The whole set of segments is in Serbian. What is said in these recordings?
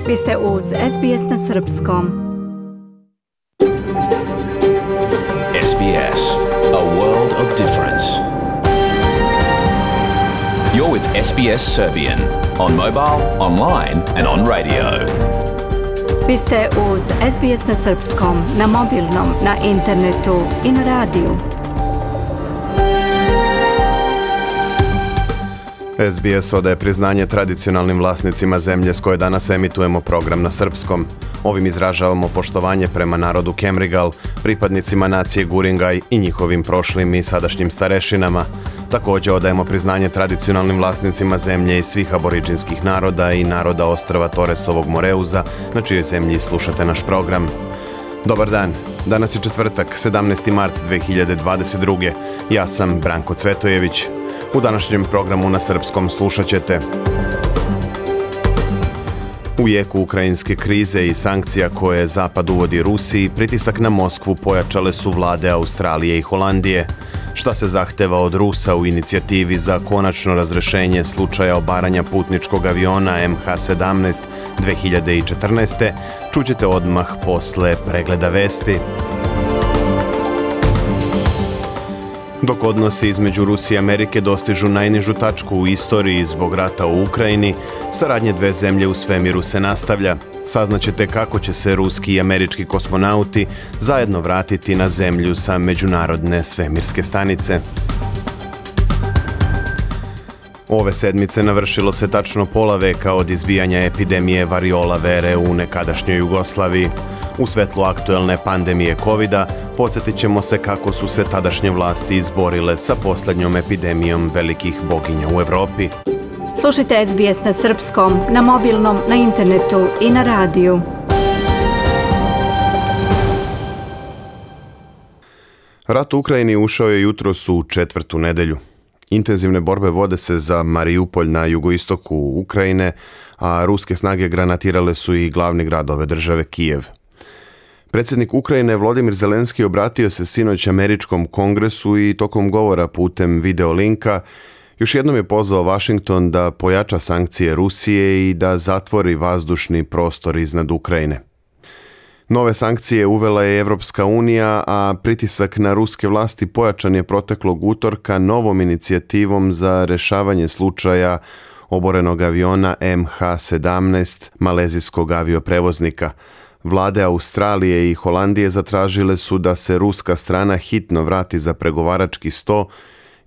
Vi ste uz SBS na Srpskom. SBS, a world of difference. You're with SBS Serbian on mobile, online and on radio. Vi ste uz SBS na Srpskom, na mobilnom, na internetu i na radiju. SBS odaje priznanje tradicionalnim vlasnicima zemlje s koje danas emitujemo program na srpskom. Ovim izražavamo poštovanje prema narodu Kemrigal, pripadnicima nacije Guringaj i njihovim prošlim i sadašnjim starešinama. Također odajemo priznanje tradicionalnim vlasnicima zemlje i svih aboriđinskih naroda i naroda ostrva Toresovog Moreuza, na čijoj zemlji slušate naš program. Dobar dan, danas je četvrtak, 17. mart 2022. Ja sam Branko Cvetojević. U današnjem programu na srpskom slušat ćete: u jeku ukrajinske krize i sankcija koje Zapad uvodi Rusiji, pritisak na Moskvu pojačale su vlade Australije i Holandije. Šta se zahteva od Rusa u inicijativi za konačno razrešenje slučaja obaranja putničkog aviona MH17 2014. čućete odmah posle pregleda vesti. Dok odnosi između Rusije i Amerike dostižu najnižu tačku u istoriji zbog rata u Ukrajini, saradnje dve zemlje u svemiru se nastavlja. Saznaćete kako će se ruski i američki kosmonauti zajedno vratiti na zemlju sa međunarodne svemirske stanice. Ove sedmice navršilo se tačno pola veka od izbijanja epidemije variola vere u nekadašnjoj Jugoslaviji. U svetlu aktuelne pandemije covida podsjetit ćemo se kako su se tadašnje vlasti izborile sa posljednjom epidemijom velikih boginja u Evropi. Slušajte SBS na Srpskom, na mobilnom, na internetu i na radiju. Rat u Ukrajini ušao je jutros u četvrtu nedelju. Intenzivne borbe vode se za Mariupolj na jugoistoku Ukrajine, a ruske snage granatirale su i glavni grad ove države, Kijev. Predsjednik Ukrajine Volodymyr Zelenski obratio se sinoć američkom kongresu i tokom govora putem videolinka još jednom je pozvao Washington da pojača sankcije Rusije i da zatvori vazdušni prostor iznad Ukrajine. Nove sankcije uvela je Evropska unija, a pritisak na ruske vlasti pojačan je proteklog utorka novom inicijativom za rešavanje slučaja oborenog aviona MH17 malezijskog avioprevoznika. Vlade Australije i Holandije zatražile su da se ruska strana hitno vrati za pregovarački sto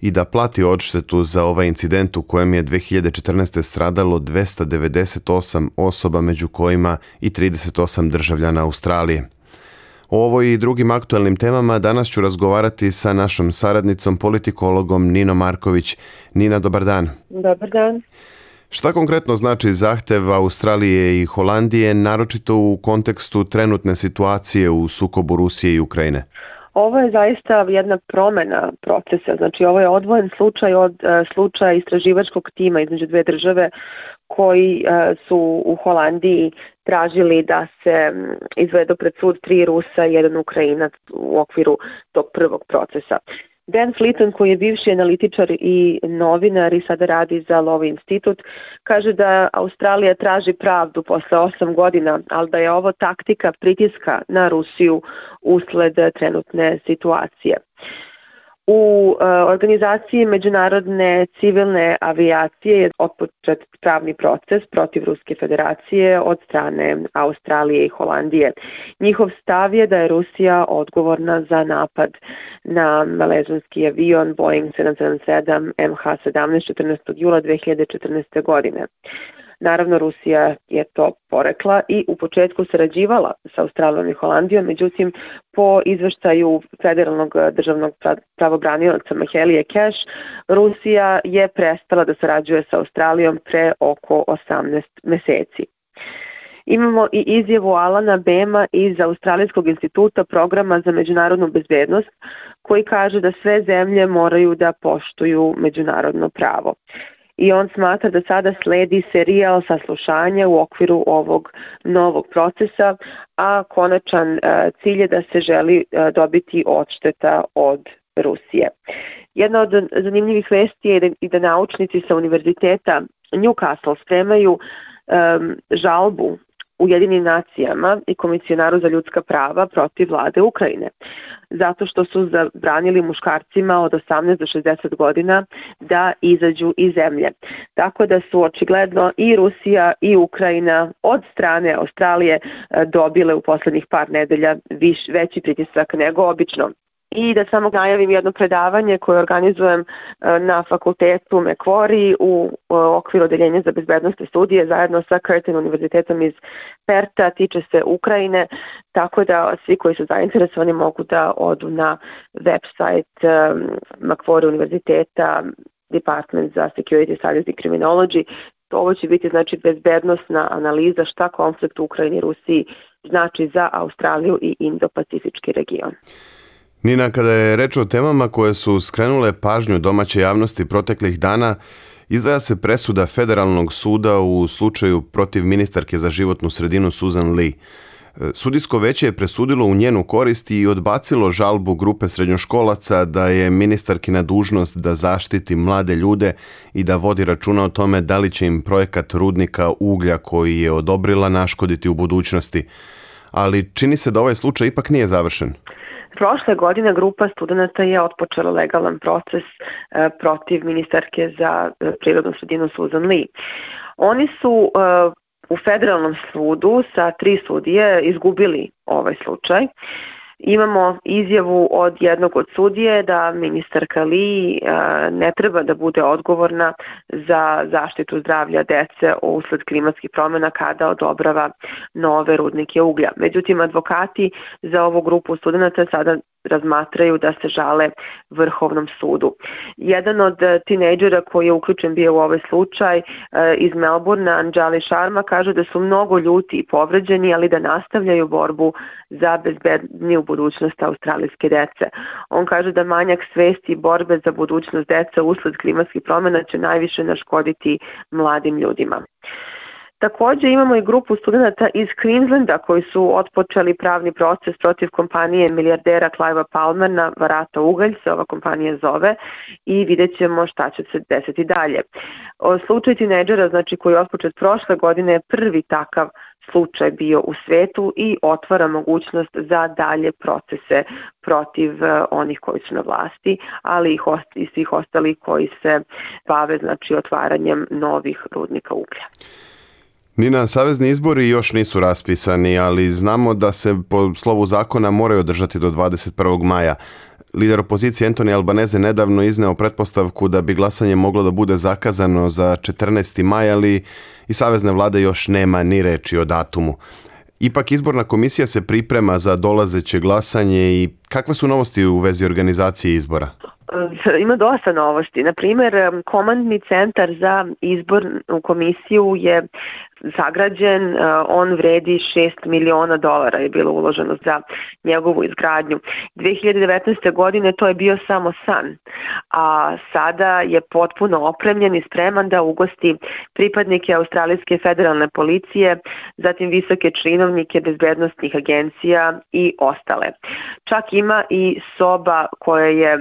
i da plati odštetu za ovaj incident u kojem je 2014. stradalo 298 osoba, među kojima i 38 državljana Australije. O ovoj i drugim aktualnim temama danas ću razgovarati sa našom saradnicom, politikologom Ninom Marković. Nina, dobar dan. Dobar dan. Šta konkretno znači zahtev Australije i Holandije, naročito u kontekstu trenutne situacije u sukobu Rusije i Ukrajine? Ovo je zaista jedna promjena procesa. Znači, ovo je odvojen slučaj od slučaja istraživačkog tima između dve države koji su u Holandiji tražili da se izvedu pred sud 3 Rusa i 1 Ukrajinac u okviru tog prvog procesa. Dan Fleeton, koji je bivši analitičar i novinar i sada radi za Law Institute, kaže da Australija traži pravdu posle 8 godina, ali da je ovo taktika pritiska na Rusiju usled trenutne situacije. U organizaciji Međunarodne civilne avijacije je otpočet pravni proces protiv Ruske federacije od strane Australije i Holandije. Njihov stav je da je Rusija odgovorna za napad na malezijski avion Boeing 777 MH17 14. jula 2014. godine. Naravno, Rusija je to porekla i u početku sarađivala sa Australijom i Holandijom, međutim, po izveštaju federalnog državnog pravobranioca Mahelije Cash, Rusija je prestala da sarađuje sa Australijom pre oko 18 meseci. Imamo i izjavu Alana Bema iz Australijskog instituta programa za međunarodnu bezbednost, koji kaže da sve zemlje moraju da poštuju međunarodno pravo. I on smatra da sada sledi serijal saslušanja u okviru ovog novog procesa, a konačan cilj je da se želi dobiti odšteta od Rusije. Jedna od zanimljivih vesti je i da naučnici sa univerziteta Newcastle spremaju žalbu Ujedinim nacijama i Komisionaru za ljudska prava protiv vlade Ukrajine, zato što su zabranili muškarcima od 18 do 60 godina da izađu iz zemlje. Tako da su očigledno i Rusija i Ukrajina od strane Australije dobile u poslednjih par nedelja veći pritisak nego obično. I da samo najavim jedno predavanje koje organizujem na fakultetu Macquarie u okviru odeljenja za bezbednosne studije zajedno sa Curtin univerzitetom iz Perta, tiče se Ukrajine, tako da svi koji su zainteresovani mogu da odu na website Macquarie univerziteta, Department za Security, Studies and Criminology. Ovo će biti znači bezbednosna analiza šta konflikt u Ukrajini i Rusiji znači za Australiju i Indo-Pacifički region. Nina, kada je reč o temama koje su skrenule pažnju domaće javnosti proteklih dana, izdvaja se presuda Federalnog suda u slučaju protiv ministarke za životnu sredinu Susan Lee. Sudijsko veće je presudilo u njenu korist i odbacilo žalbu grupe srednjoškolaca da je ministarkina dužnost da zaštiti mlade ljude i da vodi računa o tome da li će im projekat rudnika uglja koji je odobrila naškoditi u budućnosti. Ali čini se da ovaj slučaj ipak nije završen. Prošle godine grupa studenata je otpočela legalan proces protiv ministarke za prirodnu sredinu Susan Lee. Oni su u federalnom sudu sa 3 sudije izgubili ovaj slučaj. Imamo izjavu od jednog od sudije da ministarka Lee ne treba da bude odgovorna za zaštitu zdravlja dece usled klimatskih promjena kada odobrava nove rudnike uglja. Međutim, advokati za ovu grupu studenata sada razmatraju da se žale Vrhovnom sudu. Jedan od tinejdžera koji je uključen bio u ovaj slučaj iz Melbournea, Anjali Sharma, kaže da su mnogo ljuti i povređeni, ali da nastavljaju borbu za bezbedniju budućnost australijske dece. On kaže da manjak svesti i borbe za budućnost dece usled klimatskih promjena će najviše naškoditi mladim ljudima. Također imamo i grupu studenata iz Queenslanda koji su otpočeli pravni proces protiv kompanije milijardera Clivea Palmera, Varata ugalj se ova kompanija zove, i vidjet ćemo šta će se desiti dalje. Slučaj tinejdžera, znači koji je otpočet prošle godine, je prvi takav slučaj bio u svetu i otvara mogućnost za dalje procese protiv onih koji su na vlasti, ali i svih ostalih koji se bave znači otvaranjem novih rudnika uglja. Nina, savezni izbori još nisu raspisani, ali znamo da se po slovu zakona moraju održati do 21. maja. Lider opozicije Anthony Albanese nedavno izneo pretpostavku da bi glasanje moglo da bude zakazano za 14. maj, ali i savezne vlade još nema ni reči o datumu. Ipak izborna komisija se priprema za dolazeće glasanje i kakve su novosti u vezi organizacije izbora? Ima dosta novosti. Na primjer, komandni centar za izbornu komisiju je sagrađen, on vredi $6 miliona je bilo uloženo za njegovu izgradnju. 2019. godine to je bio samo san, a sada je potpuno opremljen i spreman da ugosti pripadnike Australijske federalne policije, zatim visoke činovnike bezbednosnih agencija i ostale. Čak ima i soba koja je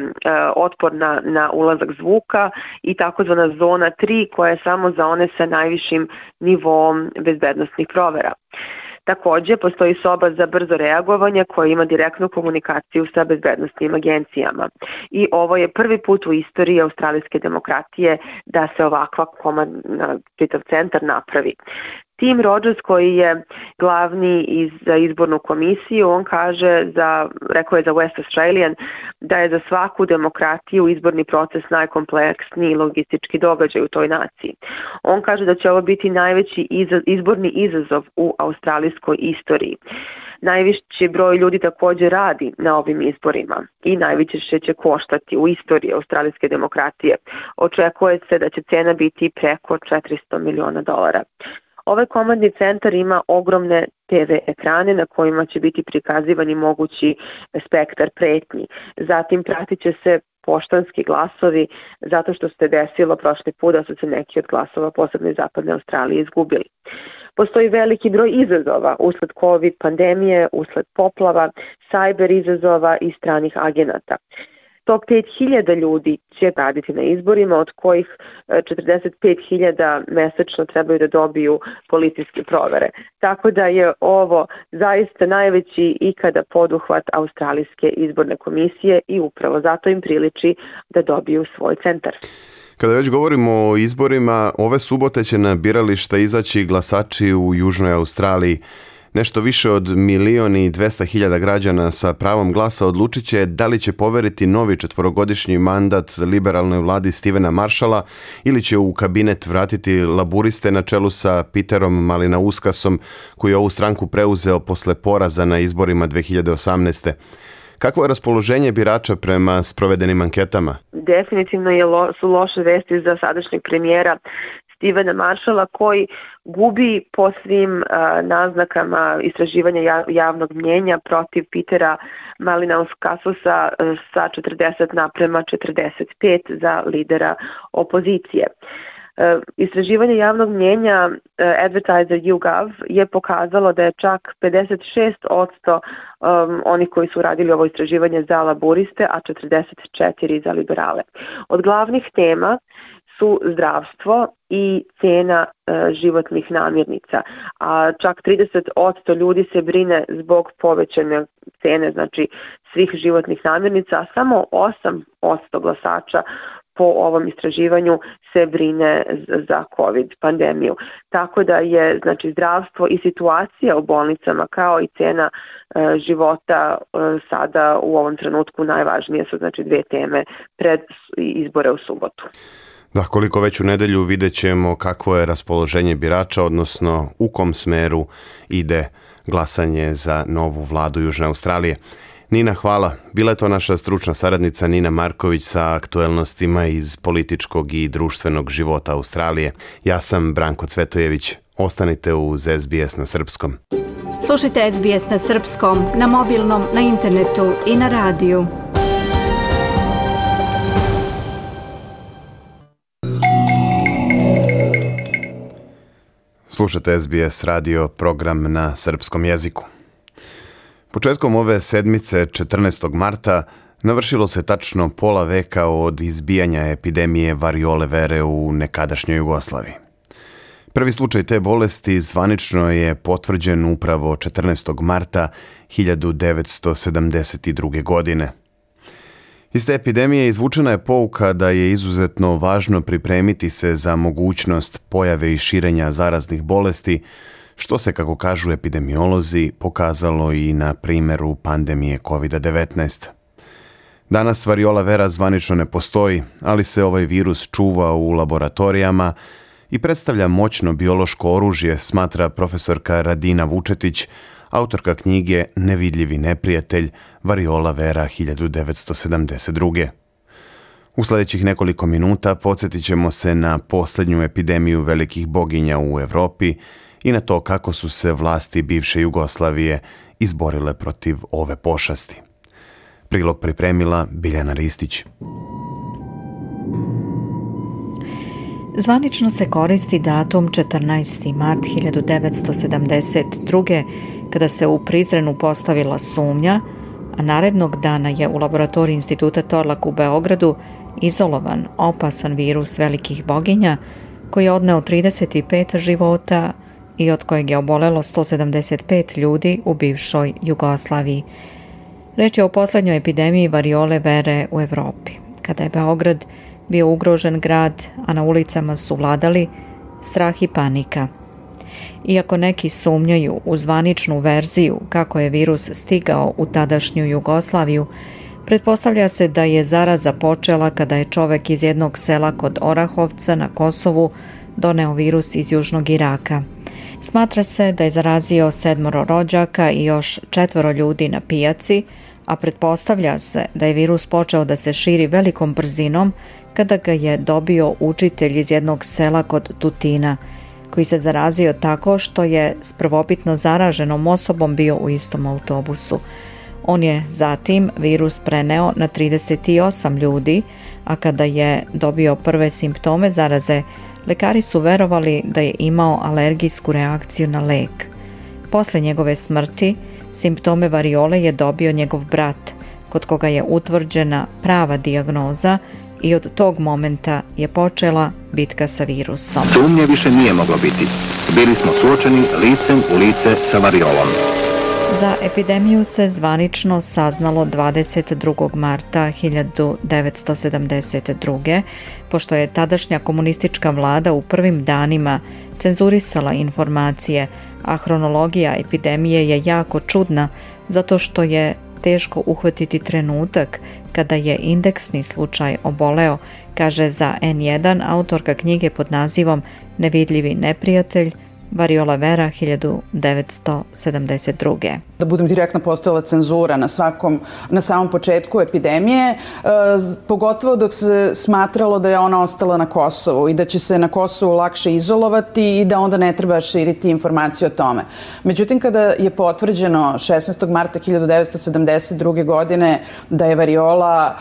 otporna na ulazak zvuka i takozvana zona 3 koja je samo za one sa najvišim nivom bezbednosnih provera. Također postoji soba za brzo reagovanje koja ima direktnu komunikaciju sa bezbednosnim agencijama. I ovo je prvi put u istoriji australijske demokratije da se ovakva komandna čitav centar napravi. Tim Rogers koji je glavni za izbornu komisiju, on rekao je za West Australian da je za svaku demokratiju izborni proces najkompleksniji logistički događaj u toj naciji. On kaže da će ovo biti najveći izborni izazov u australijskoj istoriji. Najviši broj ljudi također radi na ovim izborima i najviše će koštati u istoriji australijske demokratije. Očekuje se da će cena biti preko $400 miliona. Ovaj komandni centar ima ogromne TV ekrane na kojima će biti prikazivani mogući spektar pretnji. Zatim pratit će se poštanski glasovi zato što se desilo prošli put da su se neki od glasova posebno iz zapadne Australije izgubili. Postoji veliki broj izazova usled COVID pandemije, usled poplava, cyber izazova i stranih agenata. 105.000 ljudi će raditi na izborima, od kojih 45.000 mesečno trebaju da dobiju policijske provere. Tako da je ovo zaista najveći ikada poduhvat Australijske izborne komisije i upravo zato im priliči da dobiju svoj centar. Kada već govorimo o izborima, ove subote će na birališta izaći glasači u Južnoj Australiji. Nešto više od 1.200.000 građana sa pravom glasa odlučit će da li će poveriti novi 4-godišnji mandat liberalnoj vladi Stevena Marshalla ili će u kabinet vratiti laburiste na čelu sa Peterom Malinauskasom, koji je ovu stranku preuzeo posle poraza na izborima 2018. Kakvo je raspoloženje birača prema sprovedenim anketama? Definitivno su loše vesti za sadašnjeg premijera Stevena Marshalla, koji gubi po svim naznakama istraživanja javnog mnjenja protiv Petera Malinauskasa sa 40:45 za lidera opozicije. Istraživanje javnog mnjenja Advertiser YouGov je pokazalo da je čak 56% onih koji su radili ovo istraživanje za laburiste, a 44% za liberale. Od glavnih tema su zdravstvo i cena životnih namirnica, a čak 30% ljudi se brine zbog povećane cene, znači svih životnih namirnica, a samo 8% glasača po ovom istraživanju se brine za COVID pandemiju. Tako da je znači zdravstvo i situacija u bolnicama kao i cena života sada u ovom trenutku najvažnije su znači dve teme pred izbore u subotu. Da, koliko već u nedelju vidjet ćemo kakvo je raspoloženje birača, odnosno u kom smeru ide glasanje za novu vladu Južne Australije. Nina, hvala. Bila je to naša stručna saradnica Nina Marković sa aktuelnostima iz političkog i društvenog života Australije. Ja sam Branko Cvetojević. Ostanite uz SBS na srpskom. Slušajte SBS na srpskom, na mobilnom, na internetu i na radiju. Slušajte SBS radio, program na srpskom jeziku. Početkom ove sedmice, 14. marta, navršilo se tačno pola veka od izbijanja epidemije variole vere u nekadašnjoj Jugoslaviji. Prvi slučaj te bolesti zvanično je potvrđen upravo 14. marta 1972. godine. Iz te epidemije izvučena je pouka da je izuzetno važno pripremiti se za mogućnost pojave i širenja zaraznih bolesti, što se, kako kažu epidemiolozi, pokazalo i na primjeru pandemije COVID-19. Danas variola vera zvanično ne postoji, ali se ovaj virus čuva u laboratorijama i predstavlja moćno biološko oružje, smatra profesorka Radina Vučetić, autorka knjige Nevidljivi neprijatelj, variola vera 1972. U sljedećih nekoliko minuta podsjetit ćemo se na posljednju epidemiju velikih boginja u Europi i na to kako su se vlasti bivše Jugoslavije izborile protiv ove pošasti. Prilog pripremila Biljana Ristić. Zvanično se koristi datum 14. mart 1972. kada se u Prizrenu postavila sumnja, a narednog dana je u laboratoriji Instituta Torlak u Beogradu izolovan opasan virus velikih boginja koji je odneo 35 života i od kojeg je obolelo 175 ljudi u bivšoj Jugoslaviji. Reč je o posljednjoj epidemiji variole vere u Europi, kada je Beograd bio ugrožen grad, a na ulicama su vladali strah i panika. Iako neki sumnjaju u zvaničnu verziju kako je virus stigao u tadašnju Jugoslaviju, pretpostavlja se da je zaraza počela kada je čovek iz jednog sela kod Orahovca na Kosovu doneo virus iz južnog Iraka. Smatra se da je zarazio 7 rođaka i još 4 ljudi na pijaci, a pretpostavlja se da je virus počeo da se širi velikom brzinom kada ga je dobio učitelj iz jednog sela kod Tutina, koji se zarazio tako što je s prvobitno zaraženom osobom bio u istom autobusu. On je zatim virus preneo na 38 ljudi, a kada je dobio prve simptome zaraze, lekari su verovali da je imao alergijsku reakciju na lek. Posle njegove smrti, simptome variole je dobio njegov brat, kod koga je utvrđena prava dijagnoza i od tog momenta je počela bitka sa virusom. Sumnje više nije moglo biti. Bili smo suočeni licem u lice sa variolom. Za epidemiju se zvanično saznalo 22. marta 1972. pošto je tadašnja komunistička vlada u prvim danima cenzurisala informacije, a hronologija epidemije je jako čudna zato što je teško uhvatiti trenutak kada je indeksni slučaj oboleo, kaže za N1 autorka knjige pod nazivom Nevidljivi neprijatelj, Variola Vera 1972. Da budem direktno, postojala cenzura na samom početku epidemije, pogotovo dok se smatralo da je ona ostala na Kosovu i da će se na Kosovu lakše izolovati i da onda ne treba širiti informacije o tome. Međutim, kada je potvrđeno 16. marta 1972. godine da je variola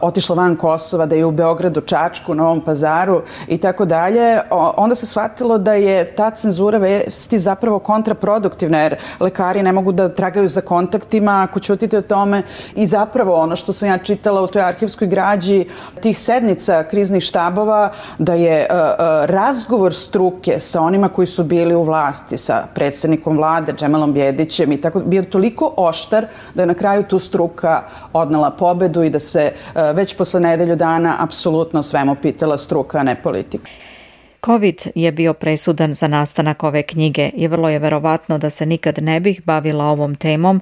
otišla van Kosova, da je u Beogradu, Čačku, Novom Pazaru i tako dalje, onda se shvatilo da je ta cenzura vesti zapravo kontraproduktivna, jer lekari ne mogu da tragaju za kontaktima ako ćutite o tome. I zapravo ono što sam ja čitala u toj arhivskoj građi tih sednica kriznih štabova, da je razgovor struke sa onima koji su bili u vlasti, sa predsjednikom vlade, Džemelom Bjedićem i tako, bio toliko oštar da je na kraju tu struka odnela pobedu i da se već posle nedelju dana apsolutno svemu pitala struka, a ne politika. COVID je bio presudan za nastanak ove knjige i vrlo je verovatno da se nikad ne bih bavila ovom temom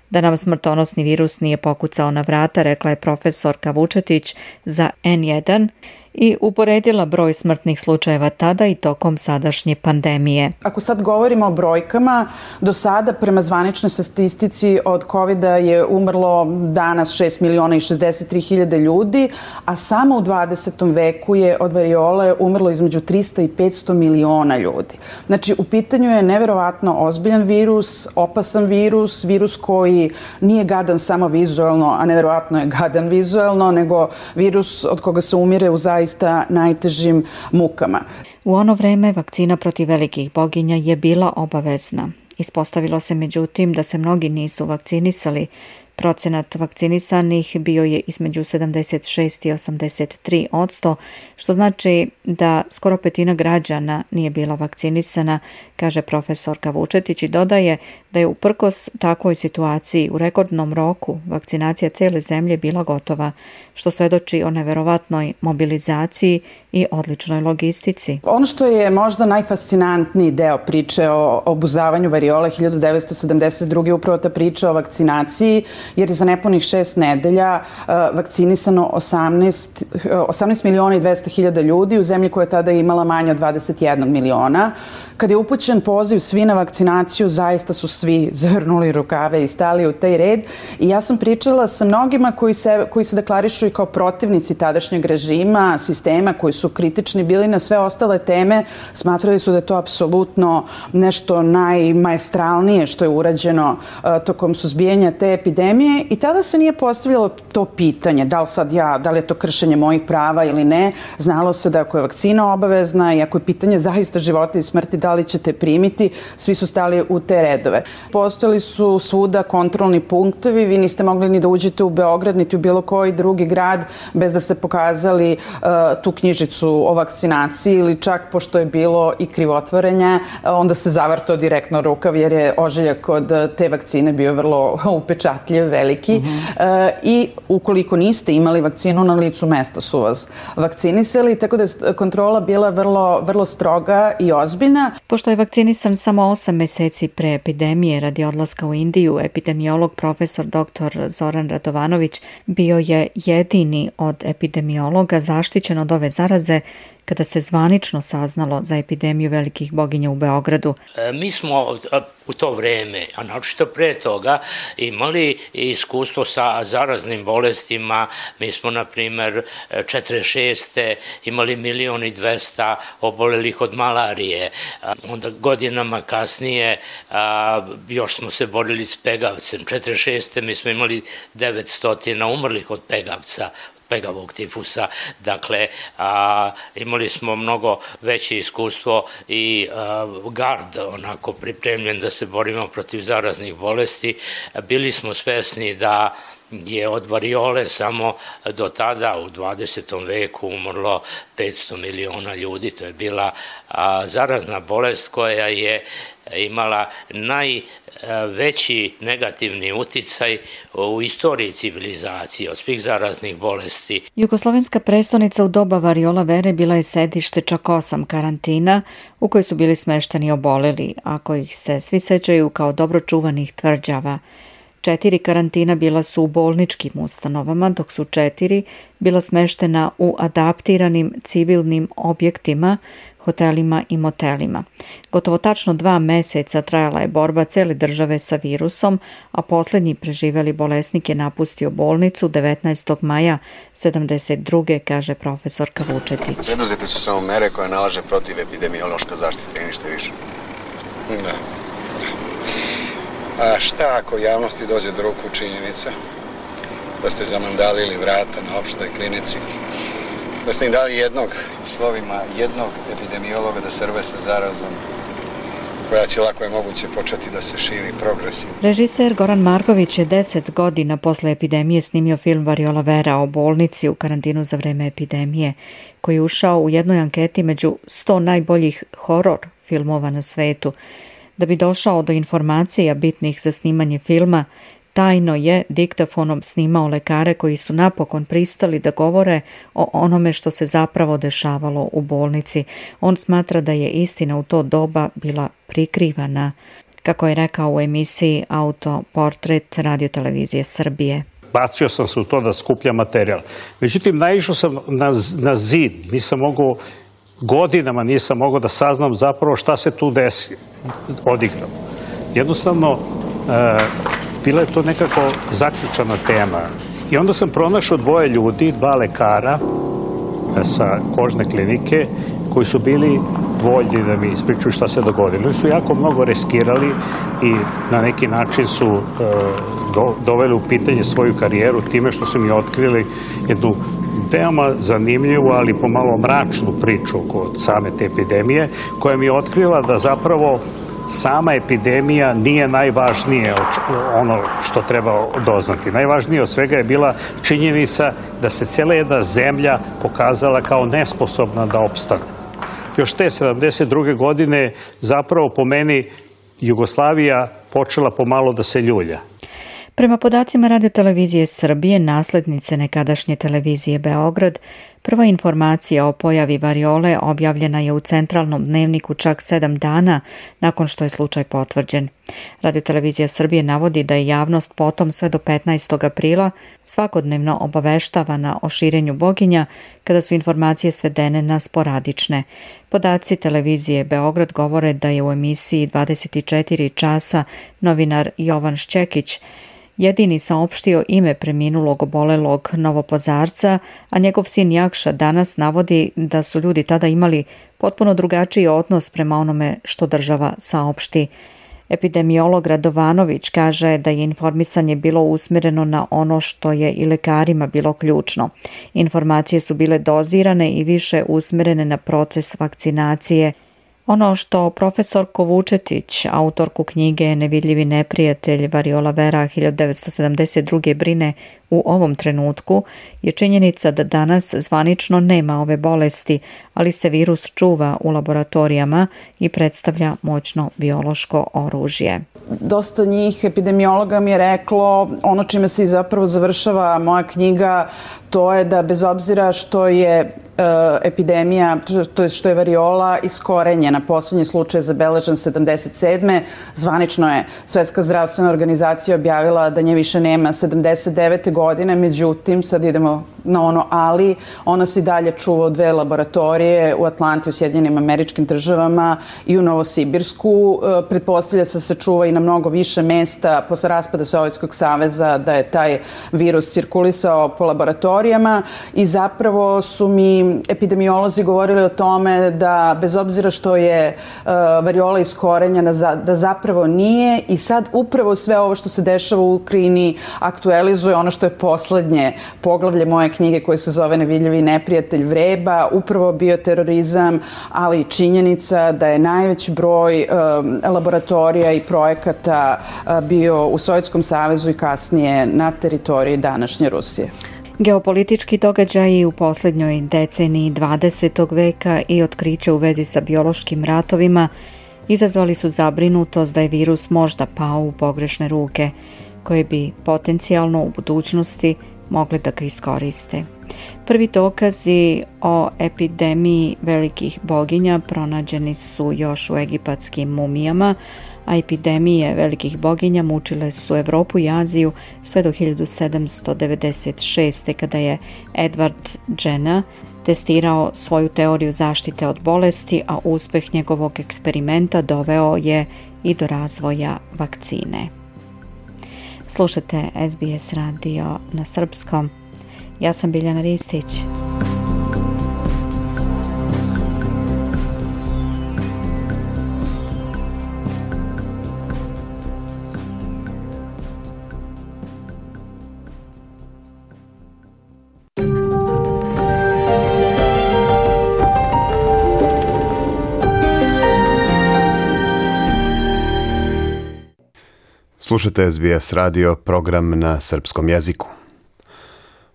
da nam smrtonosni virus nije pokucao na vrata, rekla je profesorka Vučetić za N1 i uporedila broj smrtnih slučajeva tada i tokom sadašnje pandemije. Ako sad govorimo o brojkama, do sada prema zvaničnoj statistici od COVID-a je umrlo danas 6.063.000 ljudi, a samo u 20. veku je od variole umrlo između 300 i 500 miliona ljudi. Znači, u pitanju je neverovatno ozbiljan virus, opasan virus, virus koji nije gadan samo vizuelno, a neverovatno je gadan vizuelno, nego virus od koga se umire u zaista najtežim mukama. U ono vreme vakcina protiv velikih boginja je bila obavezna. Ispostavilo se međutim da se mnogi nisu vakcinisali. Procenat vakcinisanih bio je između 76 i 83%, što znači da skoro petina građana nije bila vakcinisana, kaže profesorka Vučetić i dodaje da je uprkos takvoj situaciji u rekordnom roku vakcinacija cijele zemlje bila gotova, što svedoči o neverovatnoj mobilizaciji i odličnoj logistici. Ono što je možda najfascinantniji deo priče o obuzavanju variole 1972. upravo ta priča o vakcinaciji, jer je za nepunih 6 nedelja vakcinisano 18 miliona i 200 hiljada ljudi u zemlji koja je tada imala manje od 21 miliona. Kad je upućen poziv svi na vakcinaciju, zaista su svi zavrnuli rukave i stali u taj red. I ja sam pričala sa mnogima koji se deklarišu i kao protivnici tadašnjeg režima, sistema, koji su kritični bili na sve ostale teme, smatrali su da je to apsolutno nešto najmajestralnije što je urađeno tokom suzbijanja te epidemije i tada se nije postavljalo to pitanje da li je to kršenje mojih prava ili ne. Znalo se da ako je vakcina obavezna i ako je pitanje zaista života i smrti, da li ćete primiti, svi su stali u te redove. Postojali su svuda kontrolni punktovi, vi niste mogli ni da uđete u Beograd, niti u bilo koji drugi grad bez da ste pokazali tu knjižicu o vakcinaciji ili čak, pošto je bilo i krivotvorenja, onda se zavrtao direktno rukav jer je ožiljak od te vakcine bio vrlo upečatljiv, veliki. I ukoliko niste imali vakcinu, na licu mesta su vas vakcinisali, tako da je kontrola bila vrlo stroga i ozbiljna. Pošto je vakcinisan samo 8 meseci pre epidemije radi odlaska u Indiju, epidemiolog profesor dr. Zoran Radovanović bio je jedini od epidemiologa zaštićen od ove zaraze kada se zvanično saznalo za epidemiju velikih boginja u Beogradu. Mi smo u to vreme, a naročito pre toga, imali iskustvo sa zaraznim bolestima. Mi smo, na primer, 46. imali 1.200.000 obolelih od malarije. Onda godinama kasnije još smo se borili s pegavcem. 46. mi smo imali 900 umrlih od pegavca, pegavog tifusa. Dakle, imali smo mnogo veće iskustvo i gard onako pripremljen da se borimo protiv zaraznih bolesti. Bili smo svesni da je od variole samo do tada u 20. veku umrlo 500 miliona ljudi. To je bila zarazna bolest koja je imala najveći negativni uticaj u istoriji civilizacije od svih zaraznih bolesti. Jugoslovenska prestonica u doba variola vere bila je sedište čak 8 karantina u kojoj su bili smešteni oboleli, a kojih se svi sećaju kao dobro čuvanih tvrđava. 4 karantina bila su u bolničkim ustanovama, dok su 4 bila smeštena u adaptiranim civilnim objektima, hotelima i motelima. Gotovo tačno 2 meseca trajala je borba cele države sa virusom, a poslednji preživeli bolesnik je napustio bolnicu 19. maja 72. kaže profesorka Vučetić. Preduzete su samo mere koje nalaže protivepidemiološka zaštita i ništa više. Da. A šta ako javnosti dođe do ruku činjenica da ste zamandalili vrata na opštoj klinici, da ste im dali jednog epidemiologa da se rve sa zarazom koja će lako je moguće početi da se širi progresivno. Režiser Goran Marković je 10 godina posle epidemije snimio film Variola vera o bolnici u karantinu za vreme epidemije, koji je ušao u jednoj anketi među 100 najboljih horor filmova na svetu. Da bi došao do informacija bitnih za snimanje filma, tajno je diktafonom snimao lekare koji su napokon pristali da govore o onome što se zapravo dešavalo u bolnici. On smatra da je istina u to doba bila prikrivana, kako je rekao u emisiji Autoportret Radio-televizije Srbije. Bacio sam se u to da skupljam materijal. Međutim, naišao sam na zid. Godinama nisam mogao da saznam zapravo šta se tu odigrao. Jednostavno, bila je to nekako zaključana tema. I onda sam pronašao 2 ljudi, 2 lekara sa kožne klinike, koji su bili voljni da mi ispričaju šta se dogodilo. Oni su jako mnogo riskirali i na neki način su doveli u pitanje svoju karijeru time što su mi otkrili jednu veoma zanimljivu, ali pomalo mračnu priču oko same te epidemije, koja mi je otkrila da zapravo sama epidemija nije najvažnije ono što treba doznati. Najvažnije od svega je bila činjenica da se cijela jedna zemlja pokazala kao nesposobna da opstane. Još te 72. godine zapravo po meni Jugoslavija počela pomalo da se ljulja. Prema podacima Radio-televizije Srbije, naslednice nekadašnje televizije Beograd, prva informacija o pojavi variole objavljena je u centralnom dnevniku čak 7 dana nakon što je slučaj potvrđen. Radio-televizija Srbije navodi da je javnost potom sve do 15. aprila svakodnevno obaveštavana o širenju boginja kada su informacije svedene na sporadične. Podaci televizije Beograd govore da je u emisiji 24 časa novinar Jovan Šćekić jedini saopštio ime preminulog obolelog Novopazarca, a njegov sin Jakša danas navodi da su ljudi tada imali potpuno drugačiji odnos prema onome što država saopšti. Epidemiolog Radovanović kaže da je informisanje bilo usmjereno na ono što je i lekarima bilo ključno. Informacije su bile dozirane i više usmjerene na proces vakcinacije. Ono što profesorko Vučetić, autorku knjige Nevidljivi neprijatelj Variola vera 1972. brine u ovom trenutku je činjenica da danas zvanično nema ove bolesti, ali se virus čuva u laboratorijama i predstavlja moćno biološko oružje. Dosta njih epidemiologa mi je reklo, ono čime se i zapravo završava moja knjiga, to je da bez obzira što je epidemija, to je što je variola iskorenjena, posljednji slučaj je zabeležen 77. Zvanično je Svetska zdravstvena organizacija objavila da nje više nema 79. godine, međutim, sad idemo na ono ali, ona se i dalje čuva u 2 laboratorije u Atlanti, u Sjedinjenim Američkim Državama i u Novosibirsku. Pretpostavlja se čuva i na mnogo više mesta posle raspada Sovjetskog saveza da je taj virus cirkulisao po laboratoriju. laboratorijama i zapravo su mi epidemiolozi govorili o tome da bez obzira što je variola iskorenjena, da zapravo nije i sad upravo sve ovo što se dešava u Ukrajini aktualizuje ono što je poslednje poglavlje moje knjige koje se zove Nevidljivi neprijatelj vreba, upravo bioterorizam, ali i činjenica da je najveći broj laboratorija i projekata bio u Sovjetskom savezu i kasnije na teritoriji današnje Rusije. Geopolitički događaji u posljednjoj deceniji 20. veka i otkriće u vezi sa biološkim ratovima izazvali su zabrinutost da je virus možda pao u pogrešne ruke, koje bi potencijalno u budućnosti mogli da ga iskoriste. Prvi dokazi o epidemiji velikih boginja pronađeni su još u egipatskim mumijama, a epidemije velikih boginja mučile su Evropu i Aziju sve do 1796. kada je Edward Jenner testirao svoju teoriju zaštite od bolesti, a uspeh njegovog eksperimenta doveo je i do razvoja vakcine. Slušate SBS radio na srpskom. Ja sam Biljana Ristić. Slušate SBS radio, program na srpskom jeziku.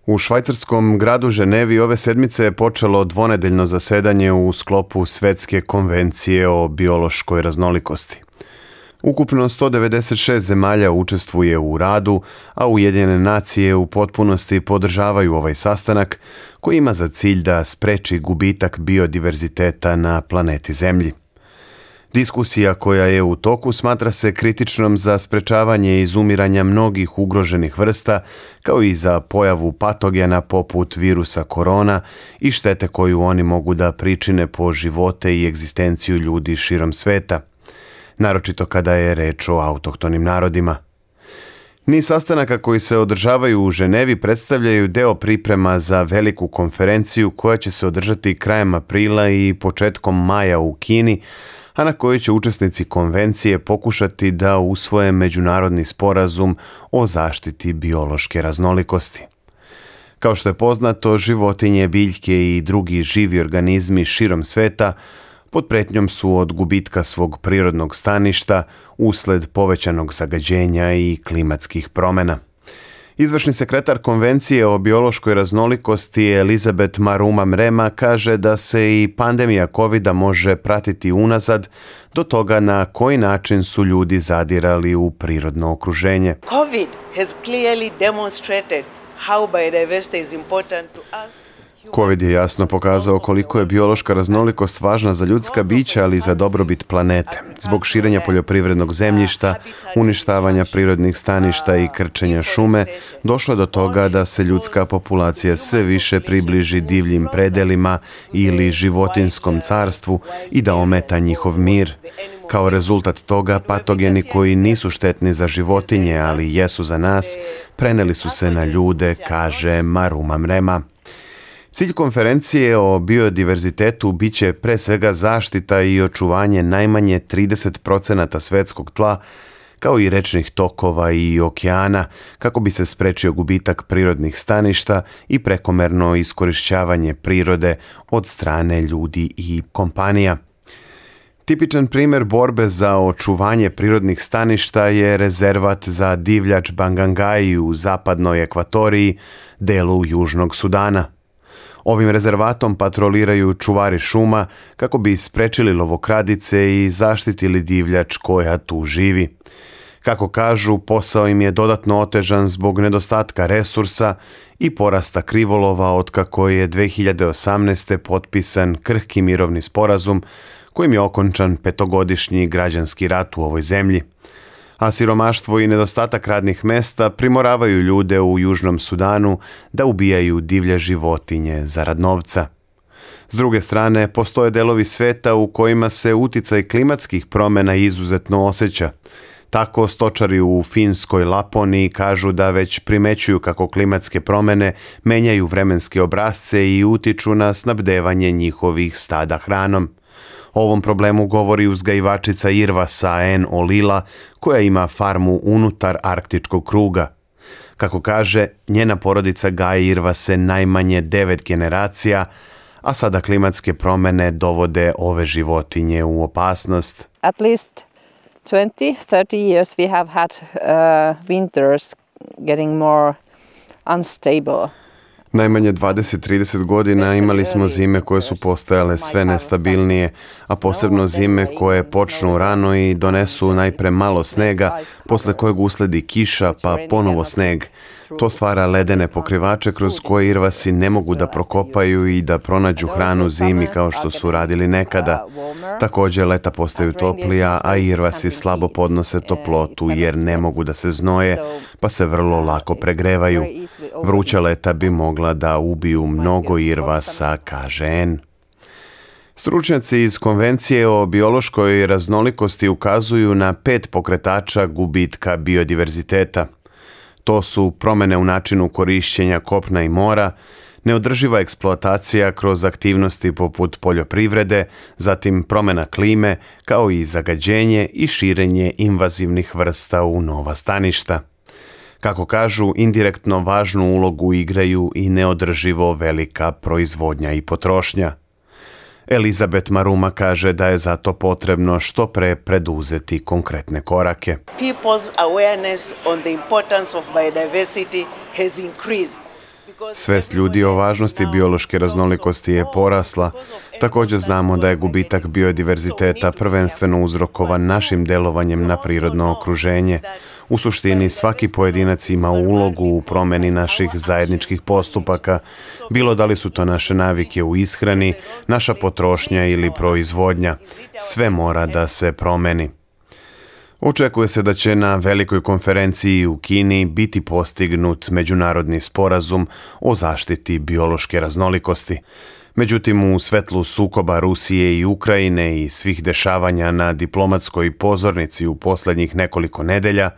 U švajcarskom gradu Ženevi ove sedmice je počelo dvonedeljno zasedanje u sklopu Svetske konvencije o biološkoj raznolikosti. Ukupno 196 zemalja učestvuje u radu, a Ujedinjene nacije u potpunosti podržavaju ovaj sastanak koji ima za cilj da spreči gubitak biodiverziteta na planeti Zemlji. Diskusija koja je u toku smatra se kritičnom za sprečavanje izumiranja mnogih ugroženih vrsta, kao i za pojavu patogena poput virusa korona i štete koju oni mogu da pričine po živote i egzistenciju ljudi širom sveta, naročito kada je reč o autohtonim narodima. Niz sastanaka koji se održavaju u Ženevi predstavljaju deo priprema za veliku konferenciju koja će se održati krajem aprila i početkom maja u Kini, a na kojoj će učesnici konvencije pokušati da usvoje međunarodni sporazum o zaštiti biološke raznolikosti. Kao što je poznato, životinje, biljke i drugi živi organizmi širom sveta pod pretnjom su od gubitka svog prirodnog staništa usled povećanog zagađenja i klimatskih promjena. Izvršni sekretar Konvencije o biološkoj raznolikosti Elizabeth Maruma-Mrema kaže da se i pandemija COVID-a može pratiti unazad do toga na koji način su ljudi zadirali u prirodno okruženje. COVID has clearly demonstrated how biodiversity is important to us. COVID je jasno pokazao koliko je biološka raznolikost važna za ljudska bića, ali i za dobrobit planete. Zbog širenja poljoprivrednog zemljišta, uništavanja prirodnih staništa i krčenja šume, došlo je do toga da se ljudska populacija sve više približi divljim predelima ili životinskom carstvu i da ometa njihov mir. Kao rezultat toga, patogeni koji nisu štetni za životinje, ali jesu za nas, preneli su se na ljude, kaže Maruma-Mrema. Cilj konferencije o biodiverzitetu biće pre svega zaštita i očuvanje najmanje 30% svetskog tla, kao i rečnih tokova i okeana, kako bi se sprečio gubitak prirodnih staništa i prekomerno iskorišćavanje prirode od strane ljudi i kompanija. Tipičan primjer borbe za očuvanje prirodnih staništa je rezervat za divljač Bangangai u zapadnoj Ekvatoriji, delu Južnog Sudana. Ovim rezervatom patroliraju čuvari šuma kako bi sprečili lovokradice i zaštitili divljač koja tu živi. Kako kažu, posao im je dodatno otežan zbog nedostatka resursa i porasta krivolova otkako je 2018. potpisan krhki mirovni sporazum kojim je okončan 5-godišnji građanski rat u ovoj zemlji. A siromaštvo i nedostatak radnih mesta primoravaju ljude u Južnom Sudanu da ubijaju divlje životinje zarad novca. S druge strane, postoje delovi sveta u kojima se uticaj klimatskih promjena izuzetno osjeća. Tako stočari u finskoj Laponiji kažu da već primećuju kako klimatske promjene menjaju vremenske obrasce i utiču na snabdevanje njihovih stada hranom. O ovom problemu govori uzgajivačica irvasa Anne Olila, koja ima farmu unutar arktičkog kruga. Kako kaže, njena porodica gaji irvase najmanje 9 generacija, a sada klimatske promjene dovode ove životinje u opasnost. At least 20-30 years we have had winters getting more unstable. Najmanje 20-30 godina imali smo zime koje su postajale sve nestabilnije, a posebno zime koje počnu rano i donesu najpre malo snega, posle kojeg usledi kiša pa ponovo sneg. To stvara ledene pokrivače kroz koje irvasi ne mogu da prokopaju i da pronađu hranu zimi kao što su radili nekada. Također leta postaju toplija, a irvasi slabo podnose toplotu jer ne mogu da se znoje, pa se vrlo lako pregrevaju. Vruća leta bi mogla da ubiju mnogo irvasa, kaže Anne. Stručnjaci iz Konvencije o biološkoj raznolikosti ukazuju na 5 pokretača gubitka biodiverziteta. To su promjene u načinu korišćenja kopna i mora, neodrživa eksploatacija kroz aktivnosti poput poljoprivrede, zatim promjena klime, kao i zagađenje i širenje invazivnih vrsta u nova staništa. Kako kažu, indirektno važnu ulogu igraju i neodrživo velika proizvodnja i potrošnja. Elizabeth Maruma kaže da je zato potrebno što pre preduzeti konkretne korake. People's awareness on the importance of biodiversity has increased. Svest ljudi o važnosti biološke raznolikosti je porasla. Također znamo da je gubitak biodiverziteta prvenstveno uzrokovan našim delovanjem na prirodno okruženje. U suštini svaki pojedinac ima ulogu u promjeni naših zajedničkih postupaka, bilo da li su to naše navike u ishrani, naša potrošnja ili proizvodnja. Sve mora da se promeni. Očekuje se da će na velikoj konferenciji u Kini biti postignut međunarodni sporazum o zaštiti biološke raznolikosti. Međutim, u svetlu sukoba Rusije i Ukrajine i svih dešavanja na diplomatskoj pozornici u posljednjih nekoliko nedelja,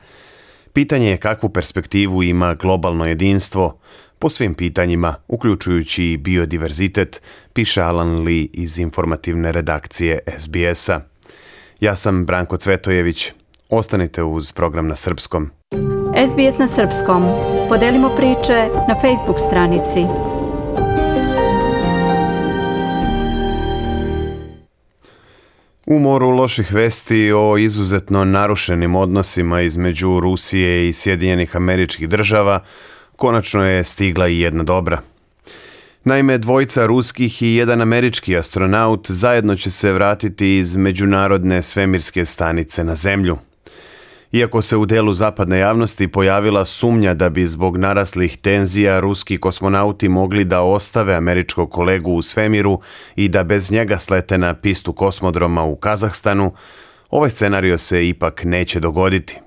pitanje je kakvu perspektivu ima globalno jedinstvo po svim pitanjima, uključujući i biodiverzitet, piše Alan Lee iz informativne redakcije SBS-a. Ja sam Branko Cvetojević. Ostanite uz program na srpskom. SBS na srpskom. Podelimo priče na Facebook stranici. U moru loših vesti o izuzetno narušenim odnosima između Rusije i Sjedinjenih Američkih Država konačno je stigla i jedna dobra. Naime, 2 ruskih i 1 američki astronaut zajedno će se vratiti iz Međunarodne svemirske stanice na Zemlju. Iako se u delu zapadne javnosti pojavila sumnja da bi zbog naraslih tenzija ruski kosmonauti mogli da ostave američkog kolegu u svemiru i da bez njega slete na pistu kosmodroma u Kazahstanu, ovaj scenario se ipak neće dogoditi.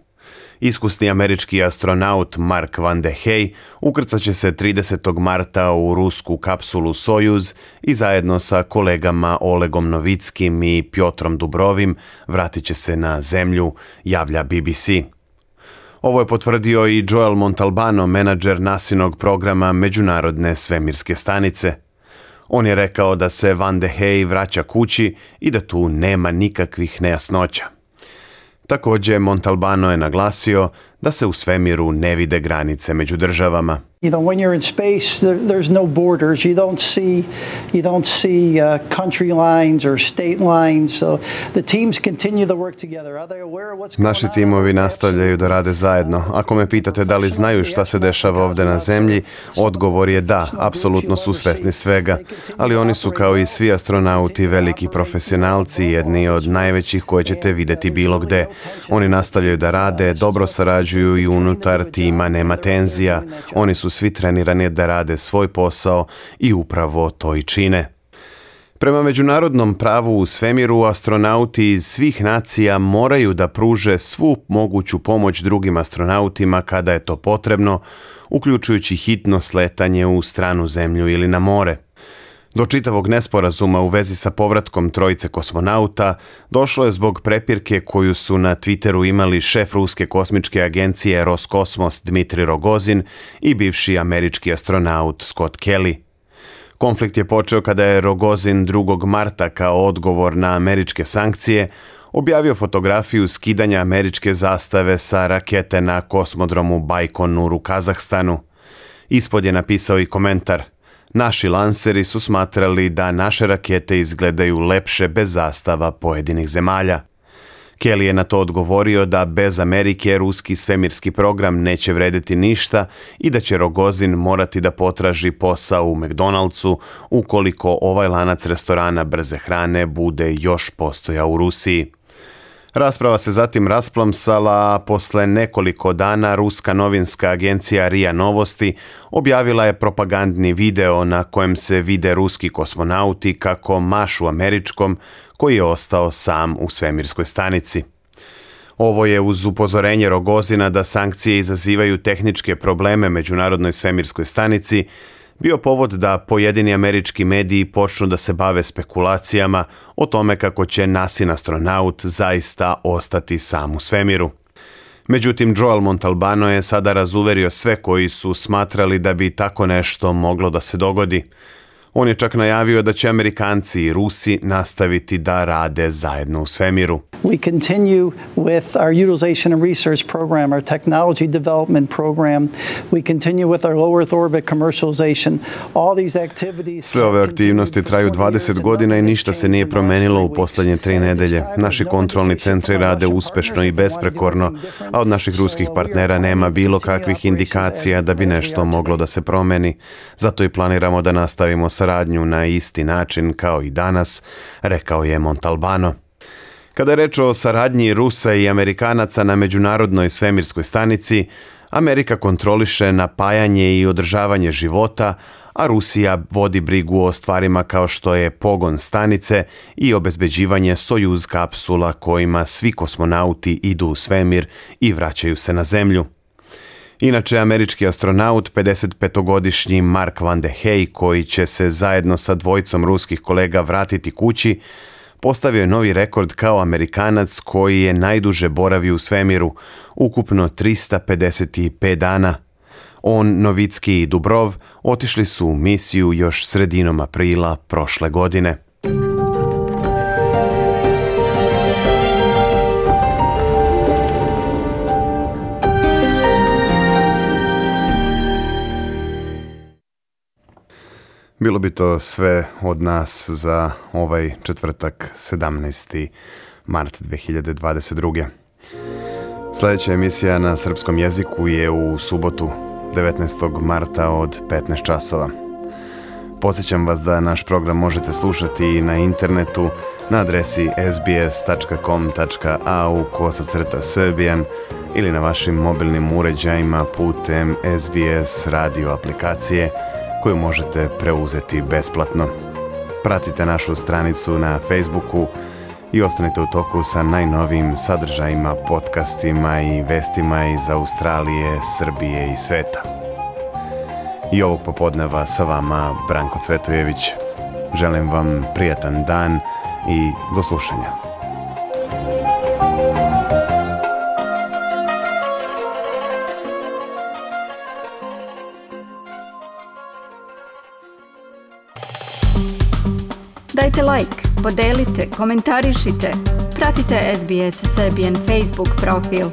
Iskusni američki astronaut Mark Van de Hey ukrcat će se 30. marta u rusku kapsulu Sojuz i zajedno sa kolegama Olegom Novickim i Pjotrom Dubrovim vratit će se na Zemlju, javlja BBC. Ovo je potvrdio i Joel Montalbano, menadžer NASInog programa Međunarodne svemirske stanice. On je rekao da se Van de Hey vraća kući i da tu nema nikakvih nejasnoća. Također, Montalbano je naglasio da se u svemiru ne vide granice među državama. You know, when you're in space, there's no borders. You don't see country lines or state lines. So the teams continue to work together. Are they aware of what's going on? Naši timovi nastavljaju da rade zajedno. Ako me pitate da li znaju šta se dešava ovdje na Zemlji, odgovor je da, apsolutno su svesni svega. Ali oni su kao i svi astronauti veliki profesionalci, jedni od najvećih koje ćete vidjeti bilo gde. Oni nastavljaju da rade, dobro sarađuju i unutar tima nema tenzija. Oni su svi trenirani da rade svoj posao i upravo to i čine. Prema međunarodnom pravu u svemiru, astronauti iz svih nacija moraju da pruže svu moguću pomoć drugim astronautima kada je to potrebno, uključujući hitno sletanje u stranu Zemlju ili na more. Do čitavog nesporazuma u vezi sa povratkom trojice kosmonauta došlo je zbog prepirke koju su na Twitteru imali šef ruske kosmičke agencije Roskosmos Dmitri Rogozin i bivši američki astronaut Scott Kelly. Konflikt je počeo kada je Rogozin 2. marta kao odgovor na američke sankcije objavio fotografiju skidanja američke zastave sa rakete na kosmodromu Bajkonur u Kazahstanu. Ispod je napisao i komentar: "Naši lanseri su smatrali da naše rakete izgledaju lepše bez zastava pojedinih zemalja." Kelly je na to odgovorio da bez Amerike ruski svemirski program neće vredeti ništa i da će Rogozin morati da potraži posao u McDonald'su ukoliko ovaj lanac restorana brze hrane bude još postojao u Rusiji. Rasprava se zatim rasplamsala, a posle nekoliko dana ruska novinska agencija RIA Novosti objavila je propagandni video na kojem se vide ruski kosmonauti kako mašu američkom koji je ostao sam u svemirskoj stanici. Ovo je uz upozorenje Rogozina da sankcije izazivaju tehničke probleme Međunarodnoj svemirskoj stanici bio povod da pojedini američki mediji počnu da se bave spekulacijama o tome kako će NASIN astronaut zaista ostati sam u svemiru. Međutim, Joel Montalbano je sada razuverio sve koji su smatrali da bi tako nešto moglo da se dogodi. On je čak najavio da će Amerikanci i Rusi nastaviti da rade zajedno u svemiru. We continue with our utilization and research program, our technology development program. We continue with our low Earth orbit commercialization. All these activities. Sve ove aktivnosti traju 20 godina i ništa se nije promenilo u posljednje 3 nedelje. Naši kontrolni centri rade uspešno i besprekorno, a od naših ruskih partnera nema bilo kakvih indikacija da bi nešto moglo da se promeni. Zato i planiramo da nastavimo saradnju na isti način kao i danas, rekao je Montalbano. Kada je reč o saradnji Rusa i Amerikanaca na Međunarodnoj svemirskoj stanici, Amerika kontroliše napajanje i održavanje života, a Rusija vodi brigu o stvarima kao što je pogon stanice i obezbeđivanje Sojuz kapsula kojima svi kosmonauti idu u svemir i vraćaju se na Zemlju. Inače, američki astronaut, 55-godišnji Mark Van de Hey, koji će se zajedno sa dvojicom ruskih kolega vratiti kući, postavio je novi rekord kao Amerikanac koji je najduže boravio u svemiru, ukupno 355 dana. On, Novicki i Dubrov otišli su u misiju još sredinom aprila prošle godine. Bilo bi to sve od nas za ovaj četvrtak 17. mart 2022. Sljedeća emisija na srpskom jeziku je u subotu 19. marta od 15 časova. Podsjećam vas da naš program možete slušati i na internetu na adresi sbs.com.au/Serbian ili na vašim mobilnim uređajima putem SBS radio aplikacije koju možete preuzeti besplatno. Pratite našu stranicu na Facebooku i ostanite u toku sa najnovijim sadržajima, podcastima i vestima iz Australije, Srbije i sveta. I ovog popodneva sa vama Branko Cvetojević. Želim vam prijatan dan i do slušanja. Dajte like, podelite, komentarišite, pratite SBS Serbian Facebook profil.